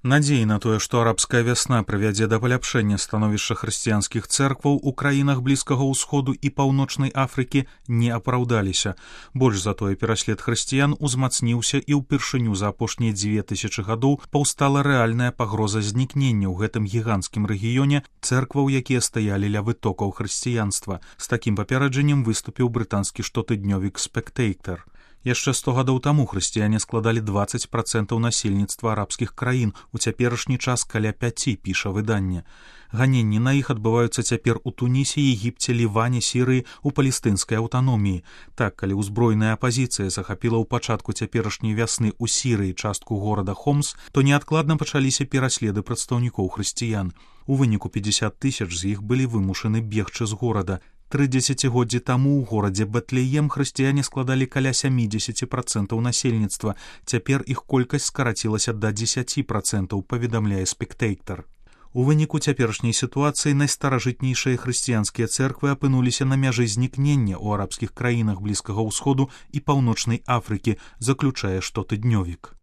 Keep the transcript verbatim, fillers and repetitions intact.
Надзеі на тое, што арабская вясна прывядзе да паляпшэння становішча хрысціянскіх цэркваў у краінах Блізкага ўсходу і Паўночнай Афрыкі не апраўдаліся. Больш за тое, пераслед хрысціян узмацніўся і ўпершыню за апошнія дзве тысячы гадоў паўстала рэальная пагроза знікнення ў гэтым гіганцкім рэгіёне цэркваў, якія стаялі ля вытокаў хрысціянства. З такім папярэджаннем выступіў брытанскі штотыднёвік «Спектейтар». Яшчэ сто гадоў таму хрысціяне складалі дваццаць працэнтаў насельніцтва арабскіх краін, у цяперашні час каля пяці, піша выданне. Ганенні на іх адбываюцца цяпер у Тунісе, Егіпце, Ліване, Сірыі, у палестынскай аўтаноміі. Так, калі ўзброеная апазіцыя захапіла ў пачатку цяперашняй вясны ў Сірыі частку горада Хомс, то неадкладна пачаліся пераследы прадстаўнікоў хрысціян. У выніку пятьдесят тысяч з іх былі вымушаны бегчы з горада. Тры дзесяцігоддзі таму ў горадзе Бэтлеем хрысціяне складалі каля сямідзесят працэнтаў насельніцтва. Цяпер іх колькасць скарацілася да дзесяць працэнтаў, паведамляе «Спектейтар». У выніку цяперашняй сітуацыі найстаражытнейшыя хрысціянскія цэрквы апынуліся на мяжы знікнення ў арабскіх краінах Блізкага ўсходу і Паўночнай Афрыкі, заключае штотыднёвік.